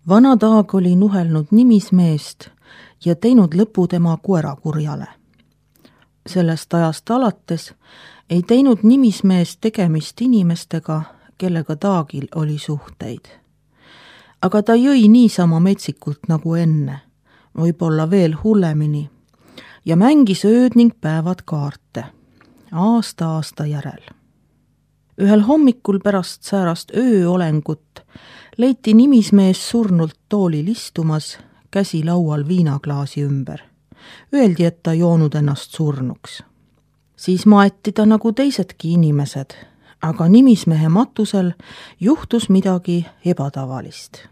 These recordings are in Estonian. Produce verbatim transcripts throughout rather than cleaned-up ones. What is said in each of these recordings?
Vana Taag oli nuhelnud nimismeest ja teinud lõpu tema koerakurjale. Sellest ajast alates ei teinud nimismees tegemist inimestega, kellega Taagil oli suhteid. Aga ta jõi niisama metsikult nagu enne, võib-olla veel hullemini, ja mängis ööd ning päevad kaarte, aasta aasta järel. Ühel hommikul pärast säärast ööolengut leiti nimismees surnult toolil istumas, käsi laual viinaklaasi ümber. Öeldi, et ta joonud ennast surnuks. Siis maeti ta nagu teisedki inimesed, aga nimismehe matusel juhtus midagi ebatavalist.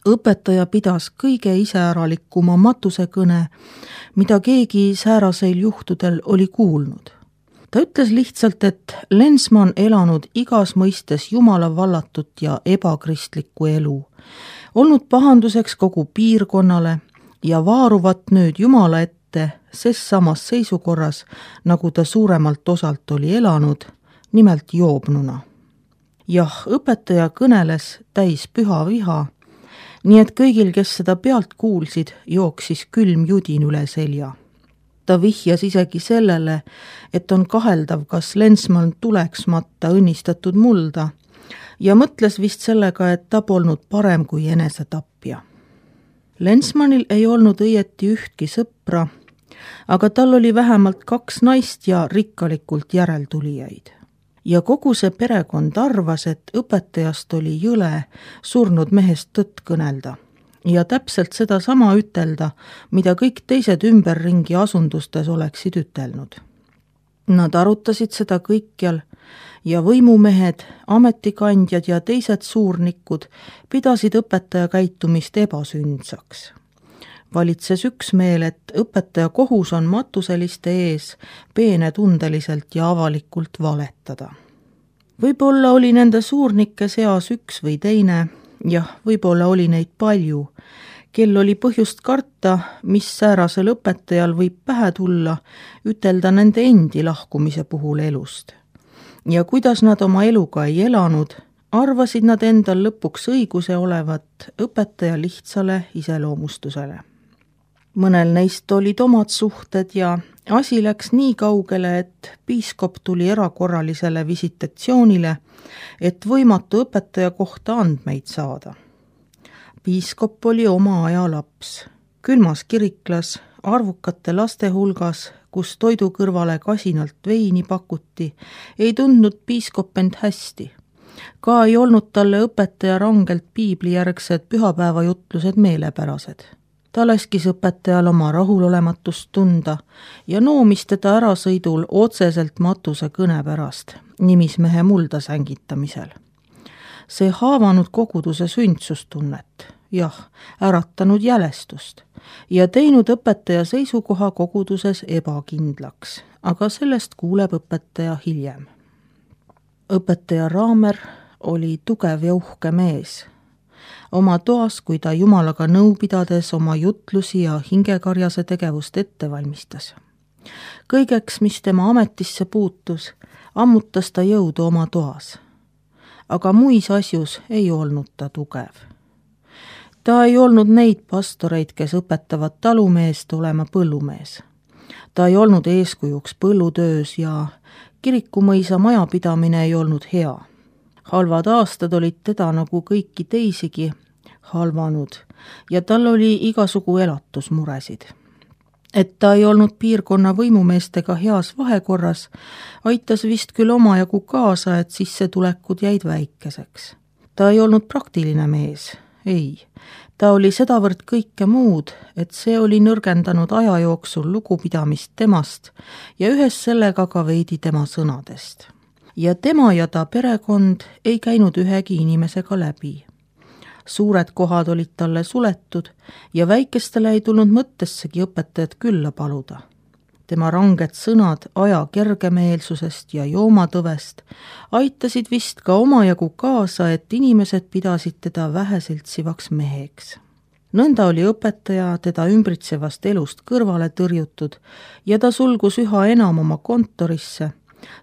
Õpetaja pidas kõige iseäralikuma matusekõne, mida keegi sääraseil juhtudel oli kuulnud. Ta ütles lihtsalt, et Lensman elanud igas mõistes jumala vallatut ja ebakristlikku elu, olnud pahanduseks kogu piirkonnale ja vaaruvat nüüd jumala ette ses samas seisukorras, nagu ta suuremalt osalt oli elanud, nimelt joobnuna. Jah, õpetaja kõneles täis püha viha, nii et kõigil, kes seda pealt kuulsid, jooksis külm judin üle selja. Ta vihjas isegi sellele, et on kaheldav, kas Lensman tuleks matta õnnistatud mulda ja mõtles vist sellega, et ta polnud parem kui enesetapja. Lensmanil ei olnud õieti ühtki sõpra, aga tal oli vähemalt kaks naist ja rikkalikult järeltulijaid. Ja kogu see perekond arvas, et õpetajast oli jõle surnud mehest tõtt kõnelda ja täpselt seda sama ütelda, mida kõik teised ümberringi asundustes oleksid ütelnud. Nad arutasid seda kõikjal ja võimumehed, ametikandjad ja teised suurnikud pidasid õpetaja käitumist ebasündsaks. Valitses üksmeel, et õpetaja kohus on matuseliste ees peenetundeliselt ja avalikult valetada. Võib-olla oli nende suurnike seas üks või teine, jah, võib-olla oli neid palju, kel oli põhjust karta, mis säärasel õpetajal võib pähe tulla, ütelda nende endi lahkumise puhul elust. Ja kuidas nad oma eluga ei elanud, arvasid nad endal lõpuks õiguse olevat õpetaja lihtsale iseloomustusele. Mõnel neist olid omad suhted ja asi läks nii kaugele, et piiskop tuli erakorralisele visitatsioonile, et võimatu õpetaja kohta andmeid saada. Piiskop oli oma aja laps, külmas kiriklas, arvukate laste hulgas, kus toidu kõrvale kasinalt veini pakuti, ei tundnud piiskop end hästi. Ka ei olnud talle õpetaja rangelt piiblijärgsed pühapäevajutlused meelepärased. Ta laskis õpetajal oma rahulolematust tunda ja noomis teda ärasõidul otseselt matuse kõne pärast, nimismehe mulda sängitamisel. See haavanud koguduse sündsustunnet, jah, äratanud jälestust ja teinud õpetaja seisukoha koguduses ebakindlaks, aga sellest kuuleb õpetaja hiljem. Õpetaja Raamer oli tugev ja uhke mees. Oma toas, kui ta jumalaga nõu pidades oma jutlusi ja hingekarjase tegevust ette valmistas. Kõigeks, mis tema ametisse puutus, ammutas ta jõudu oma toas. Aga muis asjus ei olnud ta tugev. Ta ei olnud neid pastoreid, kes õpetavad talumeest olema põllumees. Ta ei olnud eeskujuks põllutöös ja kirikumõisa majapidamine ei olnud hea. Halvad aastad olid teda nagu kõiki teisigi halvanud ja tal oli igasugu elatusmuresid. Et ta ei olnud piirkonna võimumeestega heas vahekorras, aitas vist küll omajagu kaasa, et sissetulekud jäid väikeseks. Ta ei olnud praktiline mees, ei. Ta oli sedavõrd kõike muud, et see oli nõrgendanud aja jooksul lugupidamist temast ja ühes sellega ka veidi tema sõnadest. Ja tema ja ta perekond ei käinud ühegi inimesega läbi. Suured kohad olid talle suletud ja väikestele ei tulnud mõttessegi õpetajat külla paluda. Tema ranged sõnad aja kergemeelsusest ja joomatõvest aitasid vist ka omajagu kaasa, et inimesed pidasid teda väheseltsivaks meheks. Nõnda oli õpetaja teda ümbritsevast elust kõrvale tõrjutud ja ta sulgus üha enam oma kontorisse,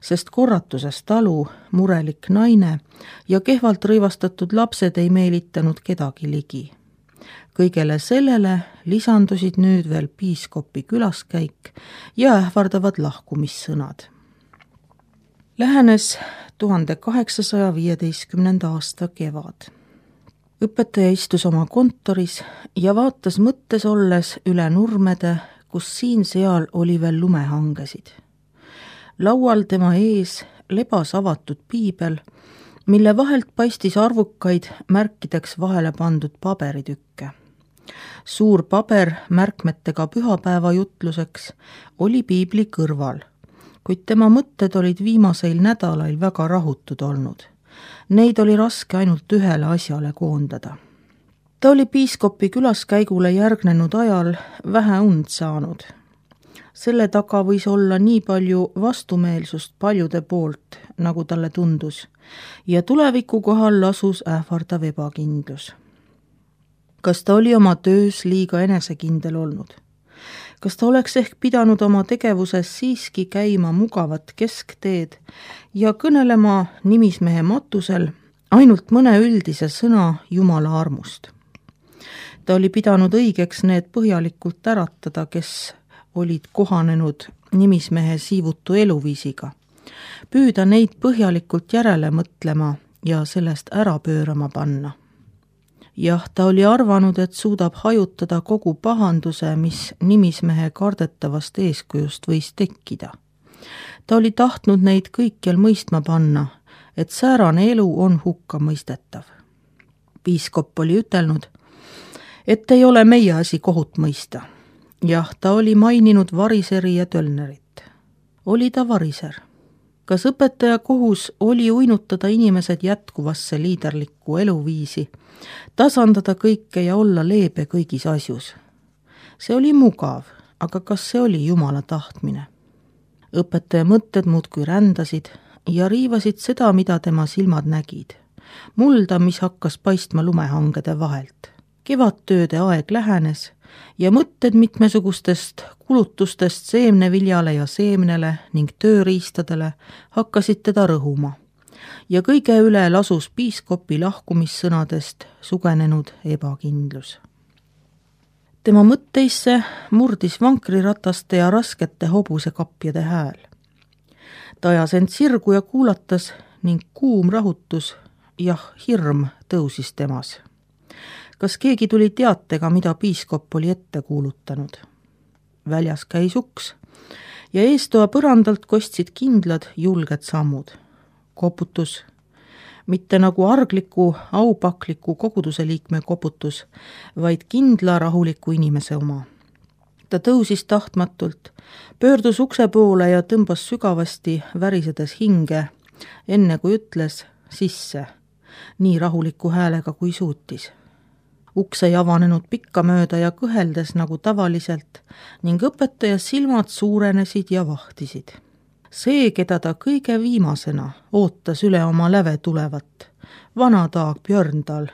sest korratuses talu, murelik naine ja kehvalt rõivastatud lapsed ei meelitanud kedagi ligi. kõigele sellele lisandusid nüüd veel piiskopi külaskäik ja ähvardavad lahkumissõnad. Lähenes tuhande kaheksasaja viieteistkümnenda aasta kevad. Õpetaja istus oma kontoris ja vaatas mõttes olles üle nurmede, kus siin-seal oli veel lumehangesid. Laual tema ees lebas avatud piibel, mille vahelt paistis arvukaid märkideks vahele pandud paberitükke. Suur paber märkmetega pühapäeva jutluseks oli piibli kõrval, kuid tema mõtted olid viimaseil nädalail väga rahutud olnud. Neid oli raske ainult ühele asjale koondada. Ta oli piiskopi külaskäigule järgnenud ajal vähe und saanud. Selle taga võis olla nii palju vastumeelsust paljude poolt, nagu talle tundus, ja tuleviku kohal lasus ähvardav ebakindlus. Kas ta oli oma töös liiga enesekindel olnud? Kas ta oleks ehk pidanud oma tegevuses siiski käima mugavat keskteed ja kõnelema nimismehe matusel ainult mõne üldise sõna Jumala armust? Ta oli pidanud õigeks need põhjalikult äratada, kes olid kohanenud nimismehe siivutu eluviisiga, püüda neid põhjalikult järele mõtlema ja sellest ära pöörama panna. Jah, ta oli arvanud, et suudab hajutada kogu pahanduse, mis nimismehe kardetavast eeskujust võis tekkida. Ta oli tahtnud neid kõikjal mõistma panna, et säärane elu on hukka mõistetav. Piiskop oli ütelnud, et ei ole meie asi kohut mõista. Jah, ta oli maininud variseri ja tölnerit. Oli ta variser? Kas õpetaja kohus oli uinutada inimesed jätkuvasse liiderlikku eluviisi, tasandada kõike ja olla leebe kõigis asjus? See oli mugav, aga kas see oli Jumala tahtmine? Õpetaja mõtted muudkui rändasid ja riivasid seda, mida tema silmad nägid. Mulda, mis hakkas paistma lumehangede vahelt. Kevadtööde aeg lähenes ja mõtted mitmesugustest kulutustest seemneviljale ja seemnele ning tööriistadele hakkasid teda rõhuma. Ja kõige üle lasus piiskopi lahkumissõnadest sugenenud ebakindlus. Tema mõtteisse murdis vankrirataste ja raskete hobusekapjade hääl. Ta ajas end sirgu ja kuulatas ning kuum rahutus, jah, hirm tõusis temas. Kas keegi tuli teatega, mida piiskop oli ette kuulutanud? Väljas käis uks ja eestoa põrandalt kostsid kindlad julged sammud. Koputus, mitte nagu argliku, aupakliku koguduse liikme koputus, vaid kindla rahuliku inimese oma. Ta tõusis tahtmatult, pöördus ukse poole ja tõmbas sügavasti värisedes hinge, enne kui ütles sisse, nii rahuliku häälega kui suutis. Uks ei avanenud pikka mööda ja kõheldes nagu tavaliselt ning õpetaja silmad suurenesid ja vahtisid. See, keda ta kõige viimasena ootas üle oma läve tulevat, vana taag Björndal,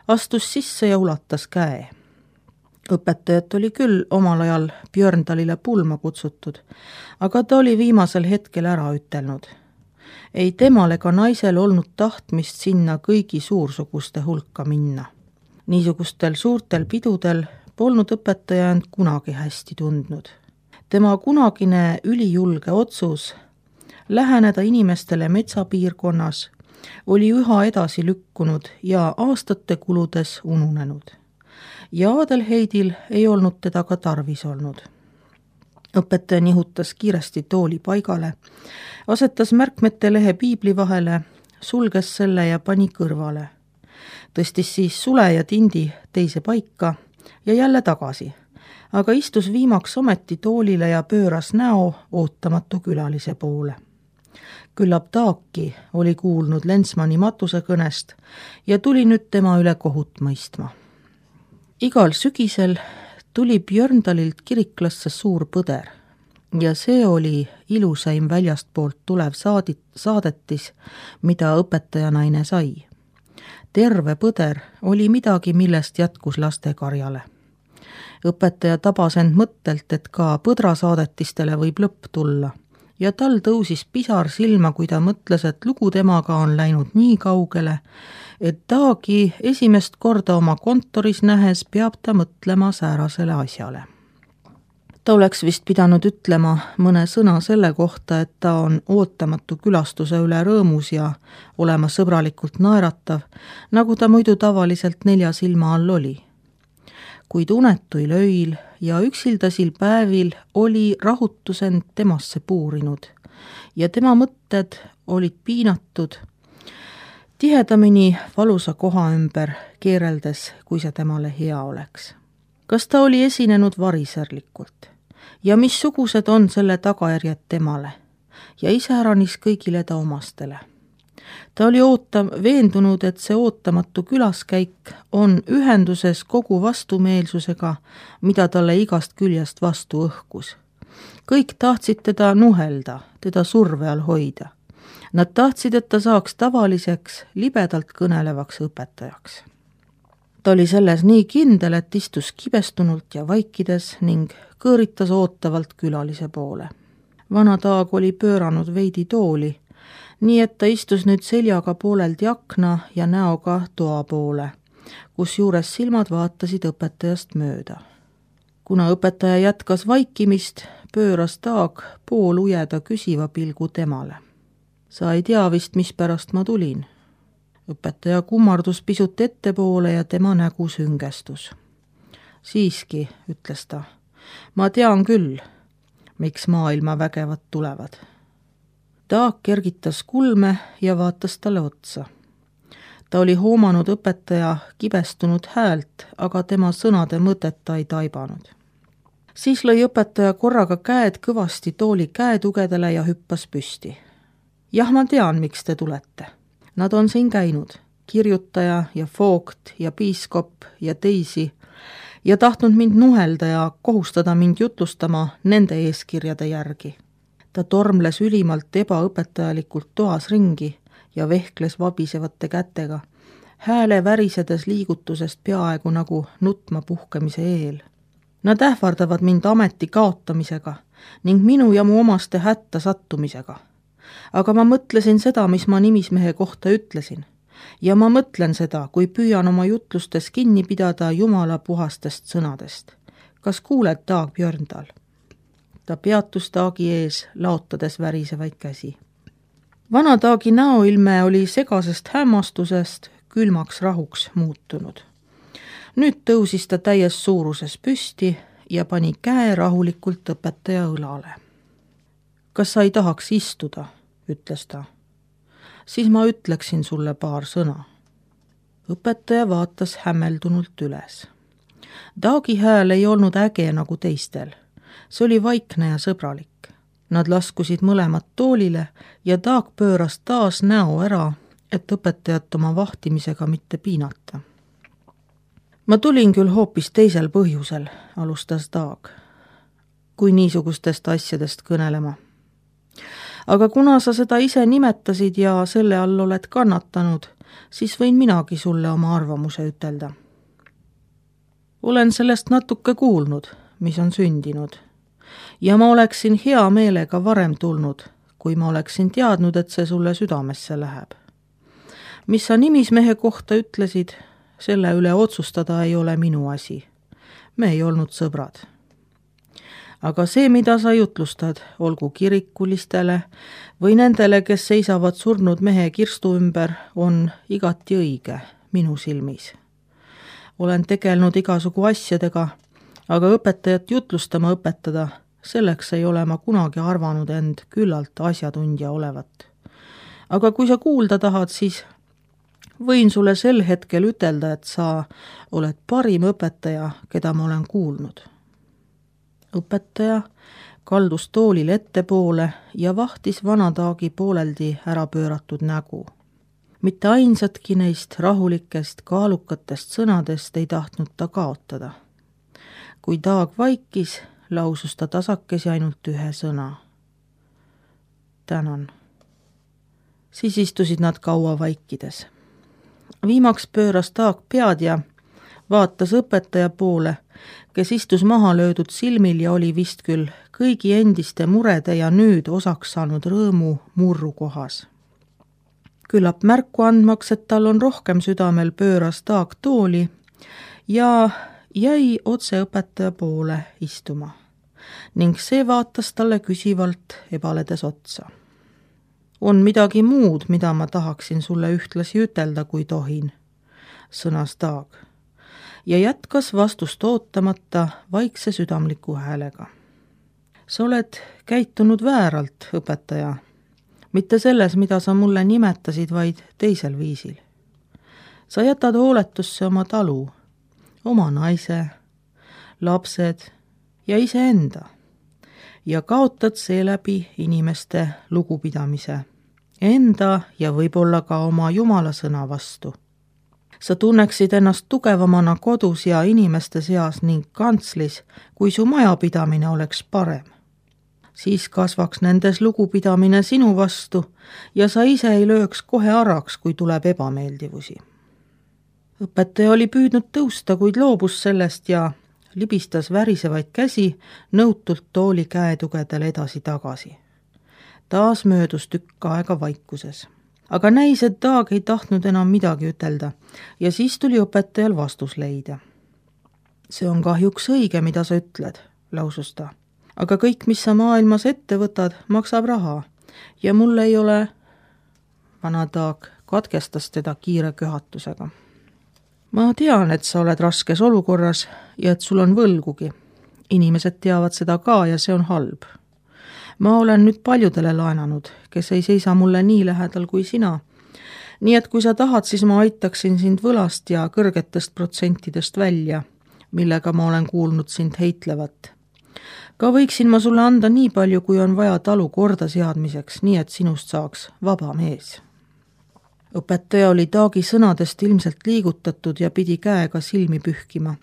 astus sisse ja ulatas käe. Õpetajat oli küll omal ajal Björndalile pulma kutsutud, aga ta oli viimasel hetkel ära ütelnud. Ei temal ega naisel olnud tahtmist sinna kõigi suursuguste hulka minna. Niisugustel suurtel pidudel polnud õpetaja end kunagi hästi tundnud. Tema kunagine ülijulge otsus läheneda inimestele metsapiirkonnas oli üha edasi lükkunud ja aastate kuludes ununenud. Ja Adelheidil ei olnud teda ka tarvis olnud. Õpetaja nihutas kiiresti tooli paigale, asetas märkmete lehe piibli vahele, sulges selle ja pani kõrvale. Tõstis siis sule ja tindi teise paika ja jälle tagasi, aga istus viimaks ometi toolile ja pööras näo ootamatu külalise poole. Küllap taaki oli kuulnud Lensmani matuse kõnest ja tuli nüüd tema üle kohut mõistma. Igal sügisel tuli Björndalilt kiriklasse suur põder ja see oli ilusaim väljastpoolt tulev saadit, saadetis, mida õpetajanaine sai. Terve põder oli midagi, millest jätkus lastekarjale. Õpetaja tabas end mõttelt, et ka põdrasaadetistele võib lõpp tulla ja tal tõusis pisar silma, kui ta mõtles, et lugu temaga on läinud nii kaugele, et Taagi esimest korda oma kontoris nähes peab ta mõtlema säärasele asjale. Ta oleks vist pidanud ütlema mõne sõna selle kohta, et ta on ootamatu külastuse üle rõõmus ja olema sõbralikult naeratav, nagu ta muidu tavaliselt nelja silma all oli. Kuid unetuil öil ja üksildasil päevil oli rahutus end temasse puurinud ja tema mõtted olid piinatud tihedamini valusa koha ümber keereldes, kui see temale hea oleks. Kas ta oli esinenud variserlikult ja missugused on selle tagajärjed temale ja iseäranis kõigile ta omastele? Ta oli ootav, veendunud, et see ootamatu külaskäik on ühenduses kogu vastumeelsusega, mida talle igast küljest vastu õhkus. Kõik tahtsid teda nuhelda, teda surve all hoida. Nad tahtsid, et ta saaks tavaliseks, libedalt kõnelevaks õpetajaks. Ta oli selles nii kindel, et istus kibestunult ja vaikides ning kõõritas ootavalt külalise poole. Vana Taag oli pööranud veidi tooli, nii et ta istus nüüd seljaga pooleldi akna ja näoga toa poole, kus juures silmad vaatasid õpetajast mööda. Kuna õpetaja jätkas vaikimist, pööras Taag pool ujeda küsiva pilgu temale. Sa ei tea vist, mispärast ma tulin. Õpetaja kummardus pisut ettepoole ja tema nägu süngestus. Siiski, ütles ta, ma tean küll, miks maailma vägevad tulevad. Taag kergitas kulme ja vaatas talle otsa. Ta oli hoomanud õpetaja kibestunud häält, aga tema sõnade mõtet ta ei taibanud. Siis lõi õpetaja korraga käed kõvasti tooli käetugedele ja hüppas püsti. Jah, ma tean, miks te tulete. Nad on siin käinud, kirjutaja ja foogt ja piiskop ja teisi, ja tahtnud mind nuhelda ja kohustada mind jutlustama nende eeskirjade järgi. Ta tormles ülimalt ebaõpetajalikult toas ringi ja vehkles vabisevate kätega, hääle värisedes liigutusest peaaegu nagu nutma puhkemise eel. Nad ähvardavad mind ameti kaotamisega ning minu ja mu omaste hätta sattumisega. Aga ma mõtlesin seda, mis ma nimismehe kohta ütlesin. Ja ma mõtlen seda, kui püüan oma jutlustes kinni pidada Jumala puhastest sõnadest. Kas kuuled, Taag Björndal? Ta peatus Taagi ees, laotades värisevaid käsi. Vana Taagi näoilme oli segasest hämmastusest külmaks rahuks muutunud. Nüüd tõusis ta täies suuruses püsti ja pani käe rahulikult õpetaja õlale. Kas sa ei tahaks istuda, ütles ta. Siis ma ütleksin sulle paar sõna. Õpetaja vaatas hämmeldunult üles. Taagi hääl ei olnud äge nagu teistel. See oli vaikne ja sõbralik. Nad laskusid mõlemad toolile ja Taag pööras taas näo ära, et õpetajat oma vahtimisega mitte piinata. Ma tulin küll hoopis teisel põhjusel, alustas Taag, kui niisugustest asjadest kõnelema. Aga kuna sa seda ise nimetasid ja selle all oled kannatanud, siis võin minagi sulle oma arvamuse ütelda. Olen sellest natuke kuulnud, mis on sündinud. Ja ma oleksin hea meelega varem tulnud, kui ma oleksin teadnud, et see sulle südamesse läheb. Mis sa nimismehe kohta ütlesid, selle üle otsustada ei ole minu asi. Me ei olnud sõbrad. Aga see, mida sa jutlustad, olgu kirikulistele või nendele, kes seisavad surnud mehe kirstu ümber, on igati õige minu silmis. Olen tegelnud igasugu asjadega, aga õpetajat jutlustama õpetada, selleks ei ole ma kunagi arvanud end küllalt asjatundja olevat. Aga kui sa kuulda tahad, siis võin sulle sel hetkel ütelda, et sa oled parim õpetaja, keda ma olen kuulnud. Õpetaja kaldus toolil ettepoole ja vahtis vana Taagi pooleldi ära pööratud nägu. Mitte ainsatki neist rahulikest, kaalukatest sõnadest ei tahtnud ta kaotada. Kui Taag vaikis, lausus ta tasakesi ainult ühe sõna. Tänan. Siis istusid nad kaua vaikides. Viimaks pööras Taag pead ja vaatas õpetaja poole, kes istus maha löödud silmil ja oli vist küll kõigi endiste murede ja nüüd osaks saanud rõõmu murru kohas. Küllap märku andmaks, et tal on rohkem südamel, pööras Taag tooli ja jäi otse õpetaja poole istuma ning see vaatas talle küsivalt ebaledes otsa. On midagi muud, mida ma tahaksin sulle ühtlasi ütelda, kui tohin, sõnas Taag ja jätkas vastust ootamata vaikse südamliku häälega. Sa oled käitunud vääralt, õpetaja, mitte selles, mida sa mulle nimetasid, vaid teisel viisil. Sa jätad hooletusse oma talu, oma naise, lapsed ja iseenda ja kaotad seeläbi inimeste lugupidamise, enda ja võib-olla ka oma Jumala sõna vastu. Sa tunneksid ennast tugevamana kodus ja inimeste seas ning kantslis, kui su majapidamine oleks parem. Siis kasvaks nendes lugupidamine sinu vastu ja sa ise ei lööks kohe araks, kui tuleb ebameeldivusi. Õpetaja oli püüdnud tõusta, kuid loobus sellest ja libistas värisevaid käsi nõutult tooli käetugedel edasi-tagasi. Taas möödus tükk aega vaikuses. Aga näis, et Taag ei tahtnud enam midagi ütelda ja siis tuli õpetajal vastus leida. See on kahjuks õige, mida sa ütled, lausus ta. Aga kõik, mis sa maailmas ette võtad, maksab raha ja mul ei ole... Vana Taag katkestas teda kiire köhatusega. Ma tean, et sa oled raskes olukorras ja et sul on võlgugi. Inimesed teavad seda ka ja see on halb. Ma olen nüüd paljudele laenanud, kes ei seisa mulle nii lähedal kui sina. Nii et kui sa tahad, siis ma aitaksin sind võlast ja kõrgetest protsentidest välja, millega ma olen kuulnud sind heitlevat. Ka võiksin ma sulle anda nii palju, kui on vaja talu korda seadmiseks, nii et sinust saaks vaba mees. Õpetaja oli Taagi sõnadest ilmselt liigutatud ja pidi käega silmi pühkima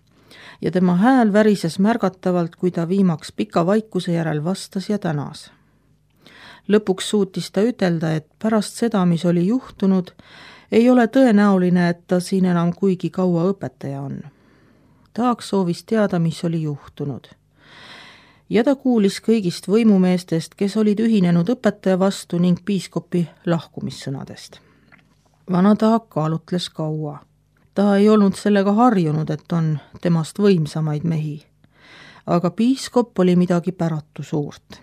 ja tema hääl värises märgatavalt, kui ta viimaks pika vaikuse järel vastas ja tänas. Lõpuks suutis ta ütelda, et pärast seda, mis oli juhtunud, ei ole tõenäoline, et ta siin enam kuigi kaua õpetaja on. Taag soovis teada, mis oli juhtunud. Ja ta kuulis kõigist võimumeestest, kes olid ühinenud õpetaja vastu ning piiskopi lahkumissõnadest. Vana Taag kaalutles kaua. Ta ei olnud sellega harjunud, et on temast võimsamaid mehi. Aga piiskop oli midagi päratu suurt.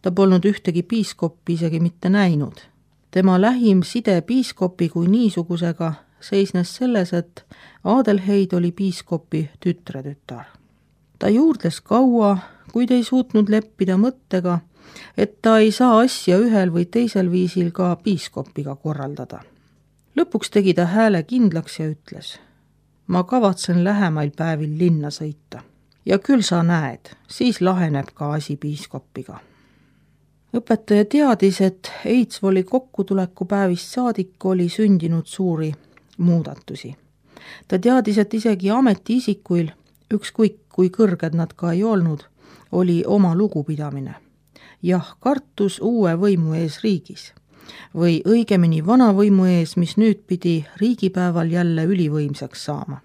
Ta polnud ühtegi piiskoppi isegi mitte näinud. Tema lähim side piiskopi kui niisugusega seisnes selles, et Adelheid oli piiskopi tütretütar. Ta juurdles kaua, kuid ei suutnud leppida mõttega, et ta ei saa asja ühel või teisel viisil ka piiskopiga korraldada. Lõpuks tegi ta hääle kindlaks ja ütles, ma kavatsen lähemail päevil linna sõita. Ja küll sa näed, siis laheneb ka asi piiskopiga. Õpetaja teadis, et Eidsvoli kokkutuleku päevist saadik oli sündinud suuri muudatusi. Ta teadis, et isegi ametiisikuil, ükskõik kui kõrged nad ka ei olnud, oli oma lugupidamine. Jah, kartus uue võimu ees riigis. Või õigemini vana võimu ees, mis nüüd pidi riigipäeval jälle ülivõimsaks saama.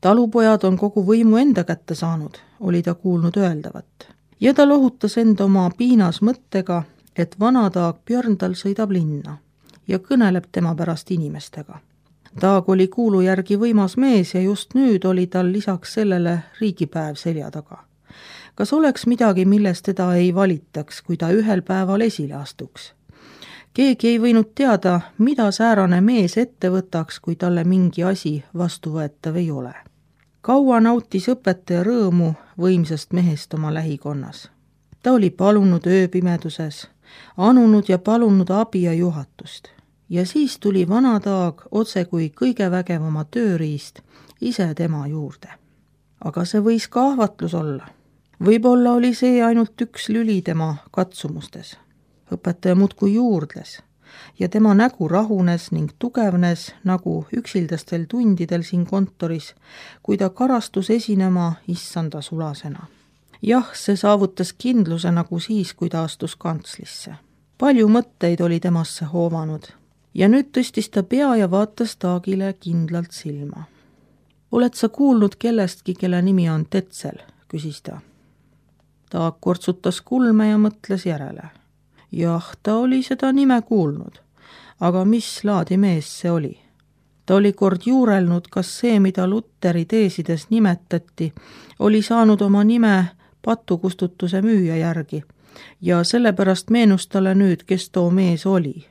Talupojad on kogu võimu enda kätte saanud, oli ta kuulnud öeldavat. Ja ta lohutas enda oma piinas mõttega, et vana Taag Björndal sõidab linna ja kõneleb tema pärast inimestega. Taag oli kuulu järgi võimas mees ja just nüüd oli tal lisaks sellele riigipäev selja taga. Kas oleks midagi, millest teda ei valitaks, kui ta ühel päeval esile astuks? Keegi ei võinud teada, mida säärane mees ette võtaks, kui talle mingi asi vastuvõetav ei ole. Kaua nautis õpetaja rõõmu võimsast mehest oma lähikonnas. Ta oli palunud ööpimeduses, anunud ja palunud abi ja juhatust. Ja siis tuli vana Taag otse kui kõige vägevama tööriist ise tema juurde. Aga see võis ka ahvatlus olla. Võib-olla oli see ainult üks lüli tema katsumustes. Õpetaja muudkui juurdles ja tema nägu rahunes ning tugevnes nagu üksildastel tundidel siin kontoris, kui ta karastus esinema issanda sulasena. Jah, see saavutas kindluse nagu siis, kui ta astus kantslisse. Palju mõtteid oli temasse hoovanud ja nüüd tõstis ta pea ja vaatas Taagile kindlalt silma. Oled sa kuulnud kellestki, kelle nimi on Tetzel, küsis ta. Taag kortsutas kulme ja mõtles järele. Jah, ta oli seda nime kuulnud, aga mis laadi mees see oli? Ta oli kord juurelnud, kas see, mida Lutteri teesides nimetati, oli saanud oma nime patukustutuse müüja järgi ja sellepärast meenus talle nüüd, kes too mees oli.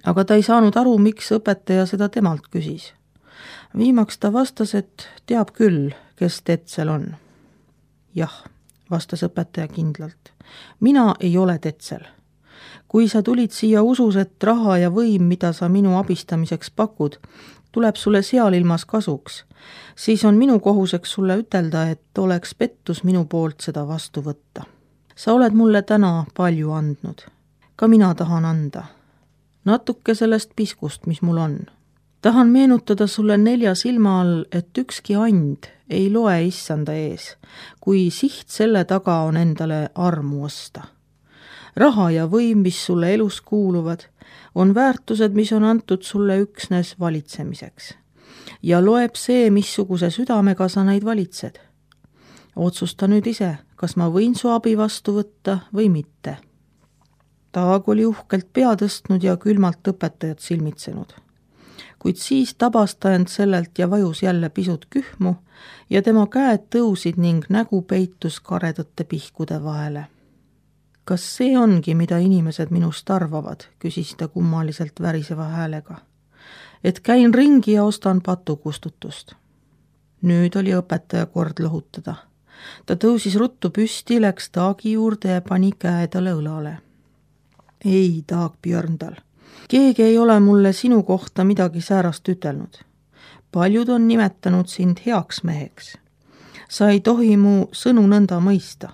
Aga ta ei saanud aru, miks õpetaja seda temalt küsis. Viimaks ta vastas, et teab küll, kes Tetzel on. Jah, vastas õpetaja kindlalt. Mina ei ole Tetzel. Kui sa tulid siia usus, et raha ja võim, mida sa minu abistamiseks pakud, tuleb sulle seal ilmas kasuks, siis on minu kohuseks sulle ütelda, et oleks pettus minu poolt seda vastu võtta. Sa oled mulle täna palju andnud. Ka mina tahan anda. Natuke sellest piskust, mis mul on. Tahan meenutada sulle nelja silma all, et ükski and ei loe issanda ees, kui siht selle taga on endale armu osta. Raha ja võim, mis sulle elus kuuluvad, on väärtused, mis on antud sulle üksnes valitsemiseks. Ja loeb see, missuguse südamega sa neid valitsed. Otsusta nüüd ise, kas ma võin su abi vastu võtta või mitte. Taag oli uhkelt pea tõstnud ja külmalt õpetajat silmitsenud. Kuid siis tabas ta end sellelt ja vajus jälle pisut kühmu ja tema käed tõusid ning nägu peitus karedate pihkude vahele. Kas see ongi, mida inimesed minust arvavad, küsis ta kummaliselt väriseva häälega. Et käin ringi ja ostan patukustutust. Nüüd oli õpetaja kord lohutada. Ta tõusis ruttu püsti, läks Taagi juurde ja pani käe talle õlale. Ei, Taag Björndal, keegi ei ole mulle sinu kohta midagi säärast ütelnud. Paljud on nimetanud sind heaks meheks. Sa ei tohi mu sõnu nõnda mõista.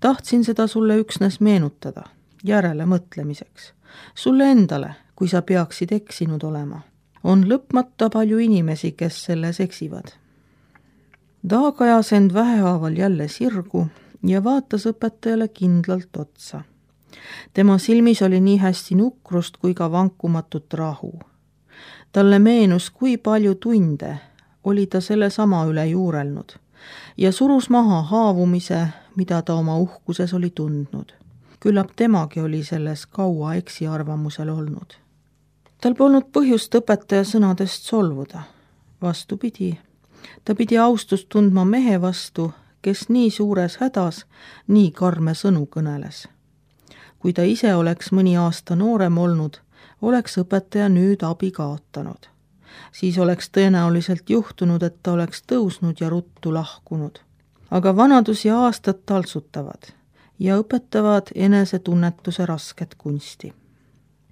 Tahtsin seda sulle üksnes meenutada, järele mõtlemiseks. Sulle endale, kui sa peaksid eksinud olema. On lõpmata palju inimesi, kes selles eksivad. Taag ajas end vähehaaval jälle sirgu ja vaatas õpetajale kindlalt otsa. Tema silmis oli nii hästi nukrust kui ka vankumatut rahu. Talle meenus, kui palju tunde oli ta selle sama üle juurelnud ja surus maha haavumise, mida ta oma uhkuses oli tundnud. Küllap temagi oli selles kaua eksiarvamusel olnud. Tal polnud põhjust õpetaja sõnadest solvuda. Vastupidi, ta pidi austust tundma mehe vastu, kes nii suures hädas nii karme sõnu kõneles. Kui ta ise oleks mõni aasta noorem olnud, oleks õpetaja nüüd abi kaotanud. Siis oleks tõenäoliselt juhtunud, et ta oleks tõusnud ja ruttu lahkunud. Aga vanadus ja aastad taltsutavad ja õpetavad enesetunnetuse rasket kunsti.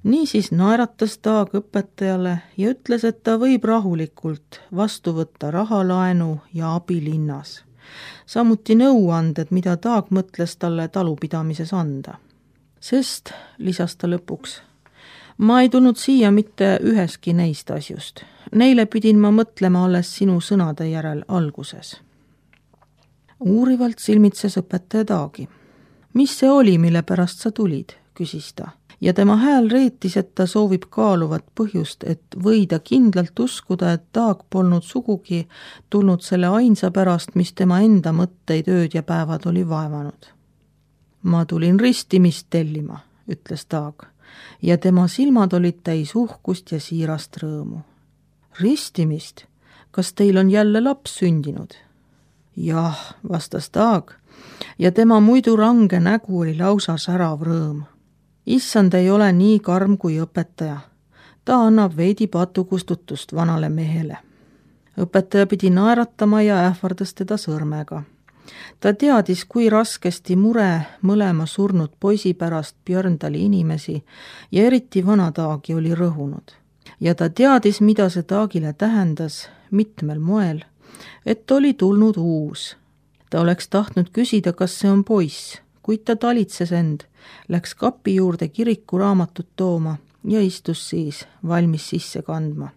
Niisiis naeratas Taag õpetajale ja ütles, et ta võib rahulikult vastu võtta rahalaenu ja abi linnas. Samuti nõuanded, mida Taag mõtles talle talupidamises anda. Sest, lisas ta lõpuks, ma ei tulnud siia mitte üheski neist asjust. Neile pidin ma mõtlema alles sinu sõnade järel alguses. Uurivalt silmitses õpetaja Taagi. Mis see oli, mille pärast sa tulid, küsis ta. Ja tema hääl reetis, et ta soovib kaaluvat põhjust, et võida kindlalt uskuda, et Taag polnud sugugi tulnud selle ainsa pärast, mis tema enda mõtteid ööd ja päevad oli vaevanud. Ma tulin ristimist tellima, ütles Taag, ja tema silmad olid täis uhkust ja siirast rõõmu. Ristimist? Kas teil on jälle laps sündinud? Jah, vastas Taag, ja tema muidu range nägu oli lausa särav rõõm. Issand ei ole nii karm kui õpetaja. Ta annab veidi patukustutust vanale mehele. Õpetaja pidi naeratama ja ähvardas teda sõrmega. Ta teadis, kui raskesti mure mõlema surnud poisi pärast Björndali inimesi ja eriti vana Taagi oli rõhunud. Ja ta teadis, mida see Taagile tähendas mitmel moel, et oli tulnud uus. Ta oleks tahtnud küsida, kas see on poiss, kuid ta talitses end, läks kapi juurde kirikuraamatut tooma ja istus siis valmis sisse kandma.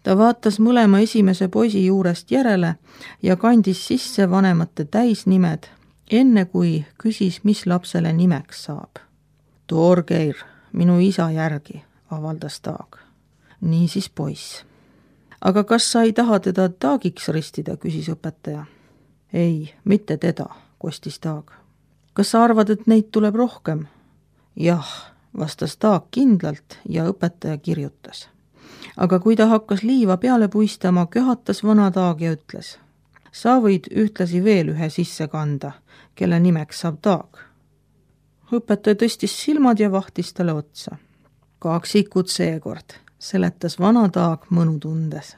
Ta vaatas mõlema esimese poisi juurest järele ja kandis sisse vanemate täisnimed, enne kui küsis, mis lapsele nimeks saab. Torgeir, minu isa järgi, avaldas Taag. Niisiis poiss. aga kas sa ei taha teda Taagiks ristida, küsis õpetaja. Ei, mitte teda, kostis Taag. Kas sa arvad, et neid tuleb rohkem? Jah, vastas Taag kindlalt ja õpetaja kirjutas. Aga kui ta hakkas liiva peale puistama, köhatas vana Taag ja ütles: sa võid ühtlasi veel ühe sisse kanda, kelle nimeks saab Taag. Õpetaja tõstis silmad ja vahtis talle otsa. Kaksikud seekord, seletas vana Taag mõnu tundes.